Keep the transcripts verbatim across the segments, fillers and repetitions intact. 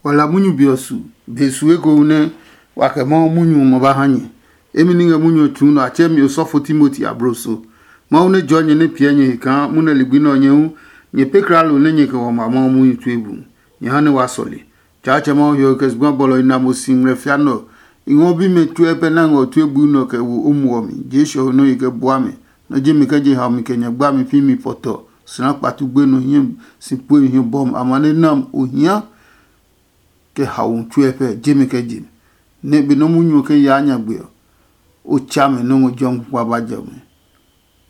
Wa la munyu be ɔ su, be su ekohu nɛ wa kɛ Mawu munyu ɔ ma ba ha nyɛ. Emi ni ngɛ munyu ɔ tsuu nɔ a tsɛ mi osɔfo Timoti abloso. Mawu nɛ jɔɔ nyɛ nɛ piɛ nyɛ he kaa munɛ ligbi nɛ ɔ nyɛ hu nyɛ pɛ kralo nɛ nyɛ kɛ wa ma Mawu munyu tue bu. Nyɛ ha nɛ wa sɔle. Tsaatsɛ Mawu hiɔwe kɛ zugba bɔlɔ i na mo si ngmlɛ fia nɛ ɔ, i ngɔ bimɛ tsuɛ pɛ nɛ a ngɛ ɔ tue bui nɛ ɔ kɛ wo o muɔ mi. Jesu ɔ ho nɔ́ yi kɛ bua mɛ, nɔ́ ji mi kɛ je haomi kɛ nyɛ gbami pi mi pɔtɔ, sina kpatu gbenu hiɛ si pue hiɔ bɔmi amane nam ohia kɛ haomi tsuɛ pɛ je mi kɛ je mi. Nɛ be nɔ́ munyu ɔ kɛ yaa nyagbe ɔ, o tsa mɛ nɔ́ ngɔ jɔmi kpa ba jɛ mi.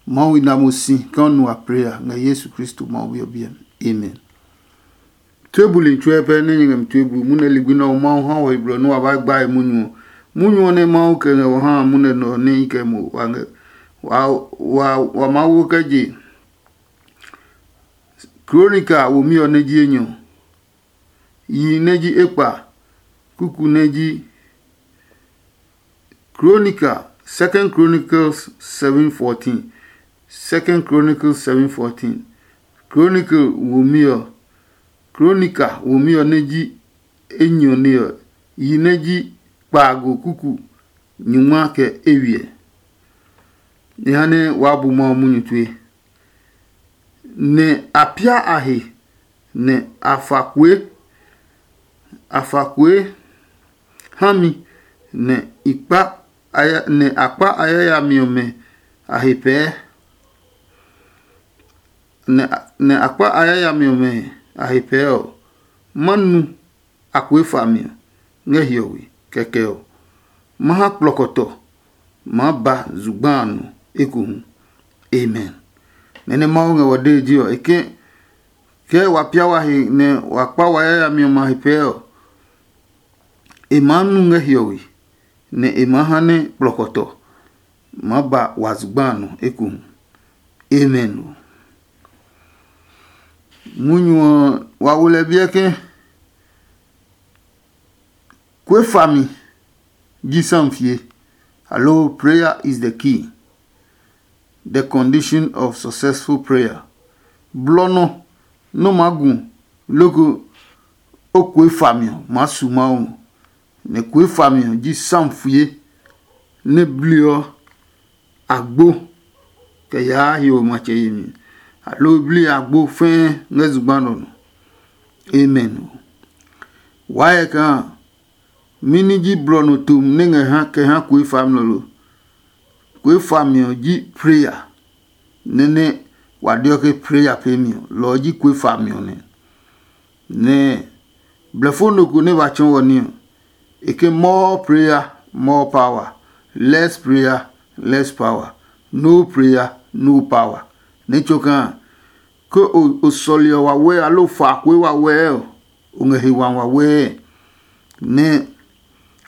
Mawu i na mo si kaa o nu a prayer ngɛ Yesu Kristo Mawu Bi ɔ biɛ mi. Amen. Tue buli tsuɛ pɛ nɛ nyɛ ngɛ mi tue buli munɛ ligbi nɛ ɔ Mawu ha wɔ he blɔ nɛ wa ba gba he munyu ɔ. Munyu ɔ nɛ Mawu kɛ ngɛ wɔ ha munɛ nɔ ɔ nɛ i kɛ mo wa ngɛ wa wa wa Mawu kɛ je. Kronika womi ɔ nɛ ji enyɔ. Yi nɛ ji ekpa, kuku nɛ ji Kronika, Second Chronicles seven fourteen, Second Chronicles seven fourteen. Chronicle womi ɔ, Kronika womi ɔ nɛ ji enyɔ ne ɔ, yi nɛ ji kpaago kuku nyungma kɛ eywiɛ. Jehanɛ waa bu Mawu munyu tue. Nɛ a pia a he, nɛ a fa kue, a fa kue ha mi, nɛ i kpa a ya- nɛ a kpa a yayami ɔmɛ a he pɛɛ, nɛ a- nɛ a kpa a yayami ɔmɛ a he pɛɛ ɔ, ma nu akue fami ɔ ngɛ hiɔwe. Kɛkɛ ɔ, ma ha kplɔkɔtɔ maa ba zugba a nɔ ekohu. Amen. Nɛ nɛ Mawu ngɛ wɔ dee ji ɔ, e ke kɛɛ wa pia wa he nɛ wa kpa wa yayami ɔmɛ a he pɛɛ ɔ, e maa nu ngɛ hiɔwe, nɛ e maa ha nɛ kplɔkɔtɔ maa ba wa zugba a nɔ ekohu. Amen ɔ. Munyu ɔ, wa wo lɛ biɛ ke kue fami ji samfie, aloo prayer is the key, the condition of successful prayer. Blɔ nɔ nɔ maa gu loko o kue fami ɔ maa su Mawu ngɔ, nɛ kue fami ɔ ji samfie nɛ bliɔ agbo kɛ yaa hiɔwe matsɛ yemi, aloo bli agbo fɛɛ ngɛ zugba nɔ nɔ. Amen ɔ. Waa hyɛ kaa mɛni ji blɔ nɔ tom nɛ ngɛ ha kɛ ha kue fami nɔ lo? Kue fami ɔ ji prayer, nɛ nɛ wa deɔ ke prayer peemi ɔ, lɔ ɔ ji kue fami ɔ nɛ. Nɛ blɛfo nɔ ko nɛ ba tsɔɔ wɔ ní ɔ, e ke more prayer, more power, less prayer, less power, no prayer, no power. Nɛ tso kaa ke o sɔli ɔ wawɛɛ aloo fa kue wawɛɛ ɔ, o ngɛ he wami wawɛɛ. Nɛ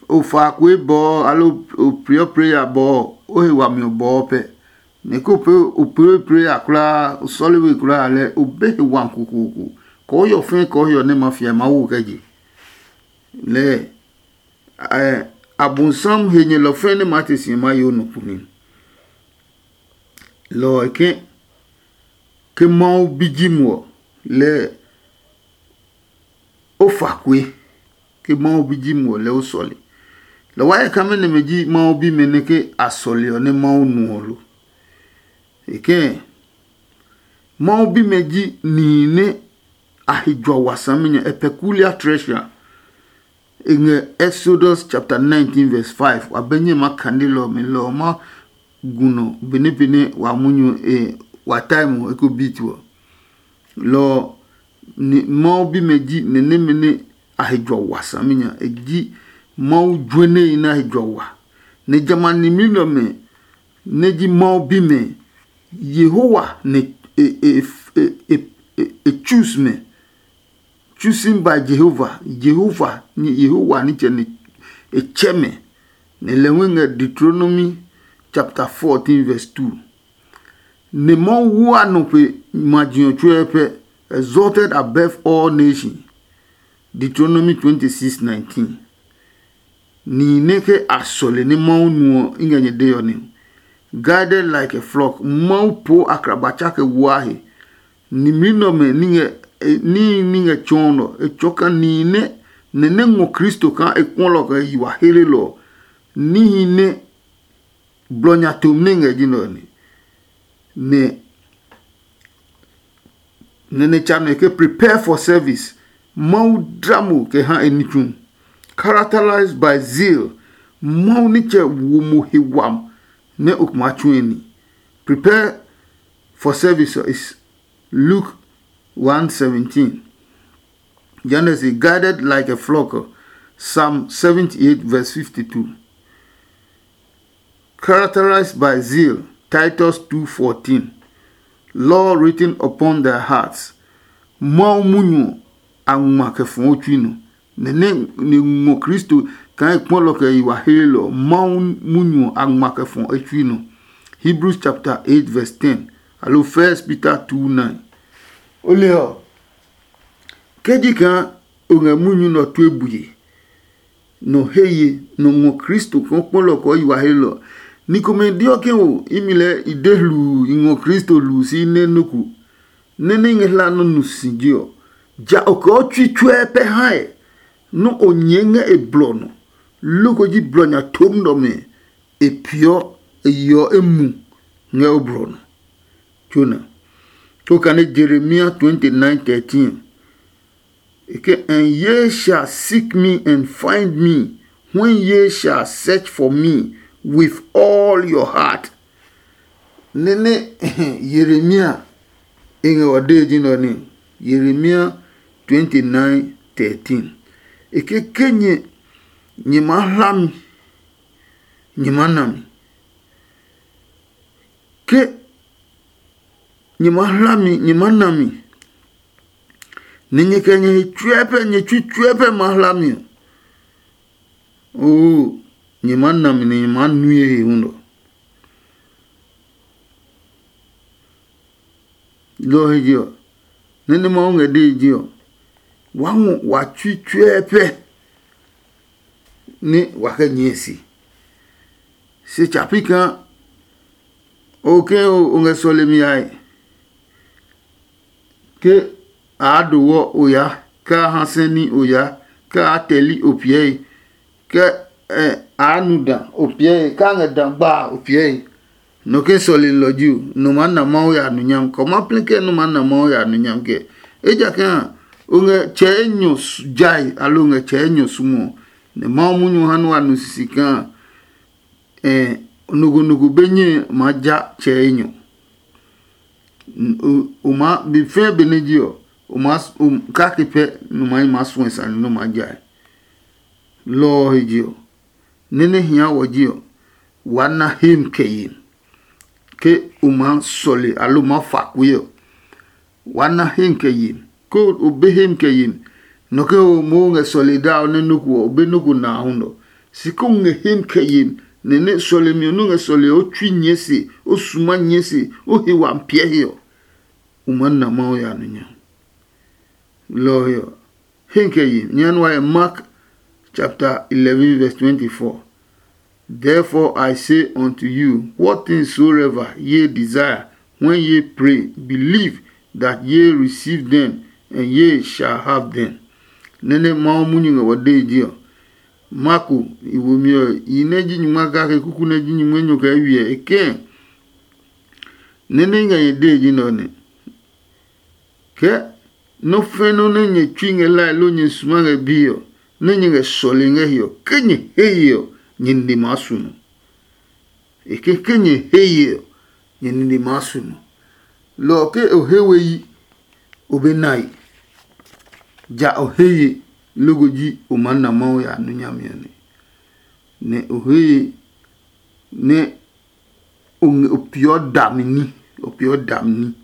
o fa kue bɔɔ aloo o priɔ prayer bɔɔ, o he wami ɔ bɔɔ pɛ. Nɛ ko pee o pee prayer kulaa, o sɔle we kulaa lɛ o be he wami kokoko. Kɔɔhiɔ fɛɛ kɔɔhiɔ nɛ ma fia Mawu kɛ je. Lɛ Abonsam he nyɛlɔ fɛɛ nɛ maa te si maa yo nɔ kpuni. Lɔ ɔ ke ke Mawu bi ji muɔ lɛ o fa kue, ke Mawu bi ji muɔ lɛ o sɔle. Lɔ wa yɛ kame nɛmɛ ji Mawu bimɛ nɛ ke a sɔle ɔ nɛ Mawu nuɔ lo. E kɛɛ Mawu bimɛ ji nihi nɛ a he jua wa saminya, a peculiar treasure. E ngɛ Exodus chapter nineteen verse five. Wa bɛ nyɛ ma kane lɔ ɔmɛ lɔ ɔ ma gu nɔ benɛ benɛ wa munyu e wa time eko beat ɔ. Lɔ ɔ ni Mawu bimɛ ji nɛ nɛmɛ nɛ a he jua wa saminya. E ji Mawu juɛnehi nɛ a he jua wa. Nɛ jamɛ a nimli nɛ ɔmɛ nɛ ji Mawu bimɛ, Yehowa nɛ e e e e e e choose mɛ. Chosen by Jehovah. Jehovah ni Yehowa nitsɛ nɛ e tsɛ mɛ. Nɛ lɛ hu ngɛ Deuteronomy chapter fourteen verse two. Nɛ Mawu wu a nɔ pe maji ɔ tsuɛ pɛ, exalted above all nation. Deuteronomy twenty six nineteen. Nihi nɛ ke a sɔle nɛ Mawu nu ɔ, i ngɛ nyɛ dee ɔ nɛ. Guided like a flock. Mawu poo akrabatsa kɛ wua he. Nimli nɛ ɔmɛ ní ngɛ níhi ní ngɛ tsɔɔ nɔ, e tsɔɔ kaa nihi nɛ nɛ nɛ ngɔ Kristo kaa e kpɔlɔ kɛ yi wa helelɔ ɔ, níhi nɛ blɔ nya tom nɛ ngɛ ji nɛ ɔ ne. Nɛ nɛ nɛ tsa nɛ ke prepare for service. Mawu dla mo kɛ ha e ní tsu. Characterized by zeal. Mawu nitsɛ wo mo he wam nɛ o kuma tsu e ní. Prepare for service is Luke one seventeen. Genesis, guided like a flock. Psalm seventy-eight verse fifty-two. Characterized by zeal. Titus two fourteen. Law written upon their hearts. Mawu munyu a ngma kɛ fɔɔ tsui nɔ. Nɛ nɛ ne ngɔ Kristo kaa e kpɔlɔ kɛ yi wa helelɔ. Mawu munyu a ngma kɛ fɔɔ e tsui nɔ. Hebrews chapter eight verse ten. Alo First Peter two nine. O le ɔ, ke ji kaa o ngɛ munyu nɛ ɔ tue bue, nɔ he ye, nɔ ngɔ Kristo kaa kpɔlɔ kɔɔ yi wa helɔ. Ni komɛ deɔ ke o imi lɛɛ i de hluu i ngɔ Kristo hluu si nɛ nɔ ku, nɛ nɛ i ngɛ hla nɔ nu si je ɔ, ja o kɛ o tsui tsuɛ pɛ hae nɔ́ o nyɛɛ ngɛ e blɔ nɔ. Loko ji blɔ nya tom nɔmɛ e piɔ e yeɔ e mu ngɛ o blɔ nɔ. Jona. Ko kane Jeremia twenty nine thirteen. E ke, and ye shall seek me and find me when ye shall search for me with all your heart. Nene Jeremia e ngɛ wa de ji nɔ ni. Jeremia twenty nine thirteen. E ke ke nyɛ nyɛ ma hla mi, nyɛ ma na mi. Ke nyɛ ma hla mi, nyɛ ma na mi, nɛ nyɛ kɛ nyɛ he tsuɛ pɛ, nyɛ tsui tsuɛ pɛ ma hla mi ɔ, oo, nyɛ ma na mi nɛ nyɛ ma nui he hu nɔ. Lɔ ɔ he je ɔ, nɛ nɛ Mawu ngɛ dee je ɔ, wa ngɔ wa tsui tsuɛ pɛ nɛ wa kɛ nyɛɛ si. Se tsa pi kaa o ke o ngɛ sɔlemi yae, ke a do wɔ o ya, ke a ha sɛ ní o ya, ke a tɛli o piɛe, ke a nu da o piɛe, ke a ngɛ da gbaa o piɛe. Nɔ ke sɔlelɔ ji o, nɔ maa na Mawu ya numunyam, kɛ o ma plɛ kɛ nɔ maa na Mawu ya numunyam kɛ. Ejakaa o ngɛ tsɛ enyɔ jae, aloo o ngɛ tsɛ enyɔ sumɔ, nɛ Mawu munyu ha nɛ wa nu sisi kaa nɔgunugu be nyɛ maa ja tsɛ enyɔ. O maa be fɛɛ benɛ ji ɔ, o maa kake pɛ nɔ maa yi maa suɛ sane nɔ maa jae. Lɔ ɔ he je ɔ, nɛ nɛ hia wɔ ji ɔ, waa na hem kɛ yem. Ke o maa sɔle aloo maa fa kue ɔ, waa na hem kɛ yem. Ke o be hem kɛ yem, nɔ ke o moo ngɛ sɔle daa ɔ nɛ nɔ́ ko ɔ, o be nɔ́ ko na a hu nɔ. Si ko ngɛ hem kɛ yem, nɛ nɛ sɔlemi ɔ nɔ́ ngɛ sɔle ɔ, o tsui nyɛɛ se, o suma nyɛɛ se, o he wa piɛ he ɔ, o maa na Mawu ya nɔ nya. Lɔ ɔ he ɔ, Henke yi, nyɛ nua yɛ Mark chapter eleven verse twenty-four. Therefore I say unto you, what things soever ye desire when ye pray, believe that ye receive them, and ye shall have them. Nene Mawu munyu ngɛ wɔ dee ji ɔ. Marko, i womi ɔ, i nɛ ji nyingma kake kuku nɛ ji nyingma nyo kɛ wiɛ e kɛɛ, nene ngɛ nyɛ dee ji nɛ ɔ nɛ. Ke nɔ́ fɛ́ nɔ́ nɛ nyɛ tsui ngɛ hlae loo nyɛ suma ngɛ biɛ ɔ, nɛ nyɛ ngɛ sɔle ngɛ he ɔ, ke nyɛ he ye ɔ, nyɛ nine maa su nɔ. E ke ke nyɛ he ye ɔ, nyɛ nine maa su nɔ. Lɔ ɔ ke o he we yi, o be nae. Ja o he ye, loko ji o maa na Mawu ya nu nyami ɔ nɛ. Nɛ o he ye nɛ o ngɛ o peeɔ dami ní, o peeɔ dami ní.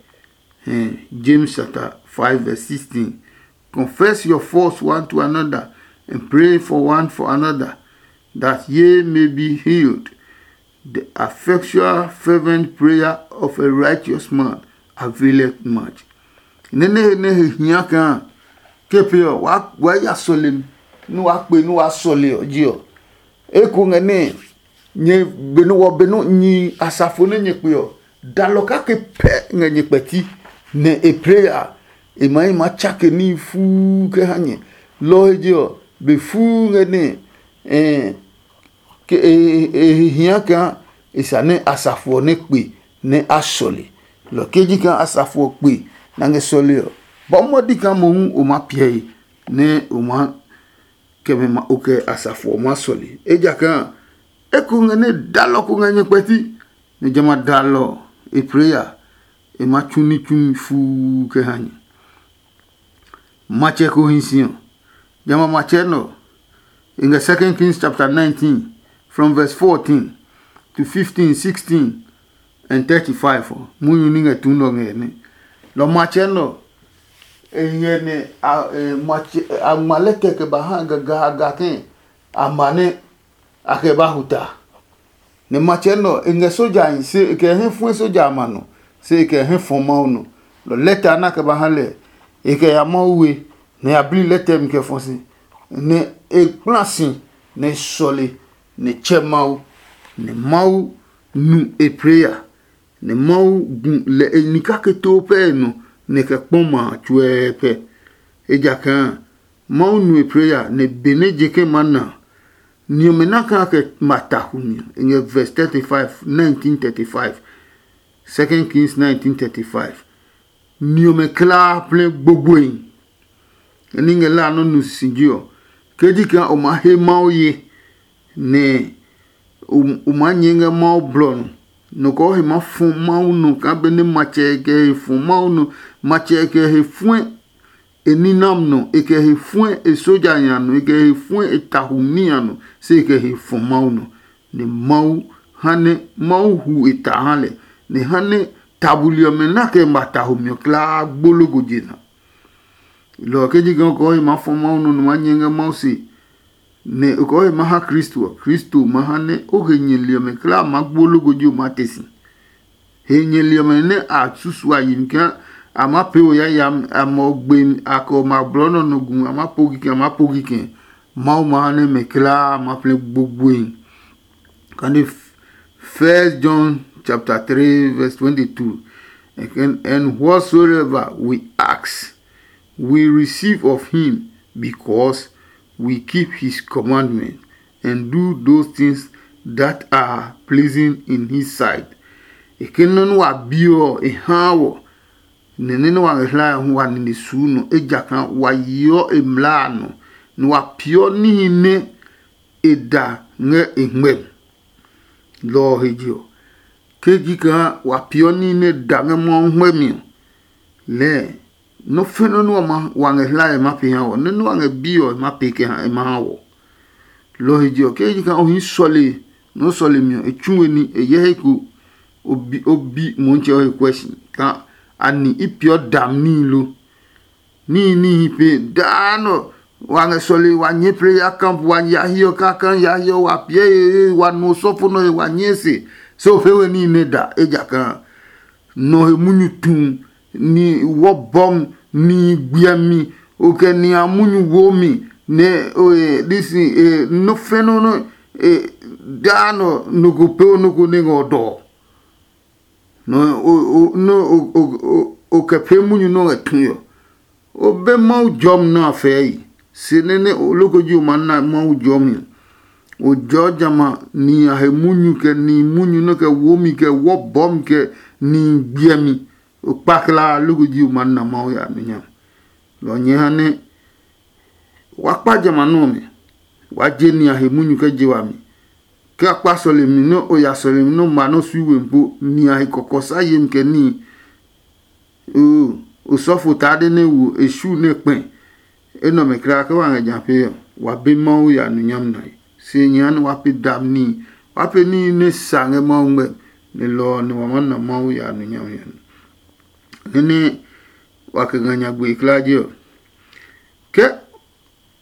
Hɛɛ, James chapter five verse sixteen. Confess your faults one to another and pray for one for another, that ye may be healed. The effectual fervent prayer of a righteous man availeth much. Nene he nɛ he hia kaa ke pe ɔ, waa ya sɔle mi, nɛ waa kpe nɛ waa sɔle ɔ ji ɔ. Eko ngɛ nɛ nyɛ be nɛ wɔ be nɛ nyi asafo nɛ nyɛ kpe ɔ, dalɔ kake pɛ ngɛ nyɛ kpɛti, nɛ e pray a, e ma yi ma tsake ní fuu kɛ ha nyɛ. Lɔ ɔ he je ɔ, be fuu ngɛ nɛ e hia kaa e sa nɛ asafo ɔ nɛ kpe nɛ a sɔle. Lɔ ke ji kaa asafo ɔ kpe nɛ a ngɛ sɔle ɔ, ba o ma di kaa mohu o ma piɛe nɛ o ma kɛ mɛ ma o kɛ asafo ɔ ma sɔle. Ejakaa eko ngɛ nɛ dalɔ ko ngɛ nyɛ kpɛti, nɛ jamɛ a dalɔ ɔ, e plee ya, e ma tsu ní tsumi fuu kɛ ha nyɛ. Matsɛ ko hi si ɔ, jamɛ a matsɛ nɛ ɔ, e ngɛ Second Kings chapter nineteen, from verse fourteen to fifteen, sixteen and thirty-five ɔ, munyu ní ngɛ tu nɛ ɔ ngɛ nɛ. Lɔ matsɛ nɛ ɔ, e ngɛ nɛ a e matsɛ a ngma lɛtɛ kɛ ba ha gagaaga kɛ a ma nɛ a kɛ ba huta. Nɛ matsɛ nɛ ɔ, e ngɛ sojahi se e kɛ hɛ fue soja amɛ a nɔ, se e kɛ hɛ fɔ Mawu nɔ. Lɔ lɛtɛ a na kɛ ba ha lɛ, e kɛ ya Mawu we, nɛ ya bli lɛtɛ mi kɛ fɔ si, nɛ e kpla si, nɛ e sɔle, nɛ e tsɛ Mawu, nɛ Mawu nu e plee ya, nɛ Mawu gu lɛ e ni kake too pɛɛ nɔ, nɛ e kɛ kpɔ ma a tsuɛɛ pɛ. Ejakaa Mawu nu e plee ya, nɛ benɛ je kɛ ma na a, ni ɔmɛ na kaa kɛ ma tahu mi ɔ. E ngɛ verse thirty-five, nineteen thirty-five, Second Kings nineteen thirty-five. Ni ɔmɛ kulaa plɛ gbogboe. Ni ngɛ la nɔ nu sisi ji ɔ, ke ji kaa o ma he Mawu ye, nɛ o maa nyɛɛ ngɛ Mawu blɔ nɔ. Nɔ kɔɔ he maa fɔ Mawu nɔ kaa benɛ matsɛ kɛ he fɔ Mawu nɔ, matsɛ kɛ he fuɛ e ninam nɔ, e kɛ he fuɛ e soja nya nɔ, e kɛ he fuɛ e tahu ní a nɔ, se e kɛ he fɔ Mawu nɔ. Nɛ Mawu ha nɛ Mawu hu e ta ha lɛ, nɛ ha nɛ ta buli ɔmɛ na kɛ ma tahu mi ɔ kulaa gbo logo je na. Lɔ ɔ ke ji kaa o kɔɔ he maa fɔ Mawu nɔ nɔ maa nyɛ ngɛ Mawu se, nɛ o kɔɔ he maa ha Kristo ɔ, Kristo ma ha nɛ o he nyɛli ɔmɛ kulaa maa gbo logo ji o maa te si. He nyɛli ɔmɛ nɛ a susu a yi mi kaa a maa pee o yayami, a mɔ gbe mi, a kɛ o ma blɔ nɔ nɔ gu, a maa po kikɛ, a maa po kikɛ. Mawu ma ha nɛ mɛ kulaa ma plɛ gbogboe. Kane First John chapter three verse twenty-two. And, and whatsoever we ask, we receive of him, because we keep his commandment and do those things that are pleasing in his sight. E ke nɔ́ nɛ wa bi ɔ, e haa wɔ, nɛ nɛ nɛ wa ngɛ hlae ɔ hu wa nine suu nɔ, ejakaa wa yeɔ e mlaa a nɔ, nɛ wa peeɔ níhi nɛ e da ngɛ e ngmɛmi. Lɔ ɔ he je ɔ, ke ji kaa wa peeɔ níhi nɛ e da ngɛ Mawu ngmɛmi ɔ, lɛɛ nɔ́ fɛnɔ nɛ wa ma wa ngɛ hlae ma pee ha ɔ, nɛ nɛ wa ngɛ bi ɔ ma pee kɛ ha e ma ha wɔ. Lɔ ɔ he je ɔ, ke ji kaa o hii sɔle nɛ o sɔle mi ɔ, e tsu we ní e hyɛ he ko, o bi o bi Mɔntsɛ ɔ he kuɛ si kaa ani i peeɔ dam níhi lo? Níhi níhi pe daa nɔ wa ngɛ sɔle wa nyɛɛ prayer camp, wa ya hiɔ kaka ya hiɔ wa piɛ he wa nu osɔfo nɔ he wa nyɛɛ se, se o pee we níhi nɛ da, ejakaa nɔ he munyu tu, ni wɔ bɔm, ni gbiɛmi, o kɛ ni a munyu wo mi, nɛ disi nɔ fɛnɔ nɔ daa nɔ nɔ ko pee o nɔ ko nɛ ngɛ ɔ dɔ. Nɔ o nɔ o kɛ pee munyu nɔ ngɛ tue ɔ, o be Mawu jɔmi nɛ a fɛɛ yi. Se nɛ nɛ o loko ji o ma na Mawu jɔmi ɔ, o jɔɔ jamɛ a ni a he munyu kɛ ni munyu nɔ kɛ wo mi kɛ wɔ bɔɔ mi kɛ ni gbiɛmi. O kpa klaa loko ji o ma na Mawu ya nɔ nya. Lɔ nyɛ ha nɛ wa kpa jamɛ a nɔ ɔmɛ, wa je ni a he munyu kɛ je wami. Ke a kpa sɔlemi nɛ o ya sɔlemi nɛ o ma nɔ́ sui we po, ni a he kɔkɔ sa yemi kɛ níhi. Oo, osɔfo taa de nɛ wo e su nɛ kpɛ. Enɛ ɔmɛ kulaa ke wa ngɛ ja pee ɔ, wa be Mawu ya nɔ nyami nae. Se nyɛ ha nɛ wa pe dami níhi, wa pe níhi nɛ sa ngɛ Mawu ngmɛ, nɛ lɔ ɔ nɛ wa maa na Mawu ya nɔ nyami ɔ. Nɛ nɛ wa kɛ ngɛ nyagbe kulaa je ɔ, ke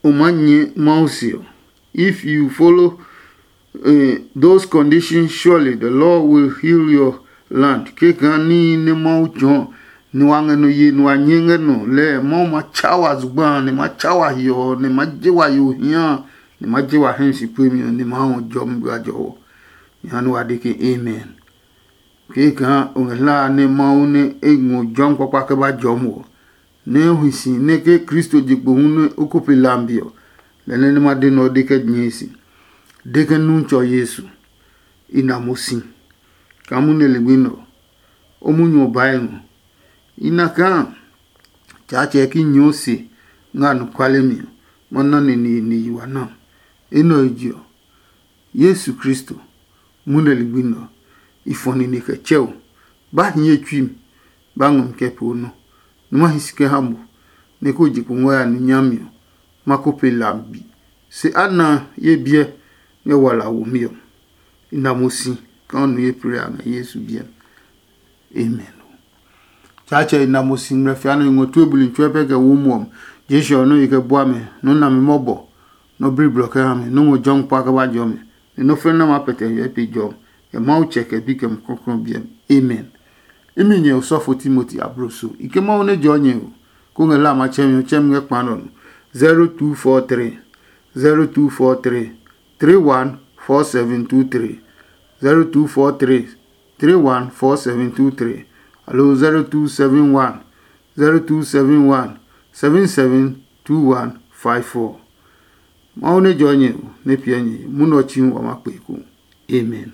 o maa nyɛ Mawu se ɔ. If you follow uh, those conditions, surely the Lord will heal your land. Ke kaa níhi nɛ Mawu tsɔɔ nɛ wa ngɛ nɔ ye nɛ wa nyɛ ngɛ nɔ lɛɛ, Mawu ma tsa wa zugba a, nɛ ma tsa wa hiɔ ɔ, nɛ ma je wa yo hia a, nɛ ma je wa hɛ si pue mi ɔ, nɛ ma hɔ jɔmi gba jɔwɔ. Jehanɛ wa de ke, Amen. Kee kaa o ngɛ hlaa nɛ Mawu nɛ e ngɔ jɔmi kpakpa kɛ ba jɔmi ɔ, nɛ o hi si nɛ ke Kristo je kpo hu nɛ o ko pe lambi ɔ, Lɛ nɛ nɛ ma de nɛ ɔ de kɛ nyɛɛ si, de ke Nuntsɔ Yesu, i na mo si kaa munyu nɛ ligbi nɛ ɔ, o munyu ɔ bae ngɔ. I na kaa Tsaatsɛ ki nyɔɔ se ngɛ anɔkuale mi ɔ, ma na nɛ nihi nihi wa na. Enɛ ɔ je ɔ, Yesu Kristo, munyu nɛ ligbi nɛ ɔ, i fɔ nine kɛ tsɛ o. Ba hiɛ tsui mi, ba ngɔ mi kɛ pee o nɔ, nɛ ma hi si kɛ ha mo, nɛ ko je kpo ngɔ ya nu nyami ɔ, ma ko pe la bi. Se a na ye biɛ ngɛ wala womi ɔ. I na mo si kaa o nu ye plee a ngɛ Yesu biɛ mi. Amen. Tsaatsɛ i na mo si ngmlɛ fia nɛ i ngɔ tue buli tsuɛ pɛ kɛ wo muɔ mi. Jesu ɔ nɔ yi kɛ bua mɛ, nɔ na mi mɔbɔ, nɔ bli blɔ kɛ ha mi, nɔ ngɔ jɔmi kpa kɛ ba jɔ mi, nɛ nɔ fɛnɛ nɛ ma pɛtɛ hyɛ pe jɔ mi, kɛ Mawu tsɛ kɛ bi kɛ mi kɔklɔ biɛ mi. Amen. Imi nyɛ osɔfo Timoti abloso, i ke Mawu nɛ jɔ nyɛ o, ko ngɛ la a matsɛmi ɔ tsɛmi ngɛ kpa nɔ nɔ. zero two four three, zero two four three, three one four seven two three, zero two four three, three one four seven two three, aloo zero two seven one, zero two seven one, seven seven two one five four. Mawu nɛ jɔ nyɛ o, nɛ piɛ nyɛ munɔ tsi hu wa ma kpe ko. Amen.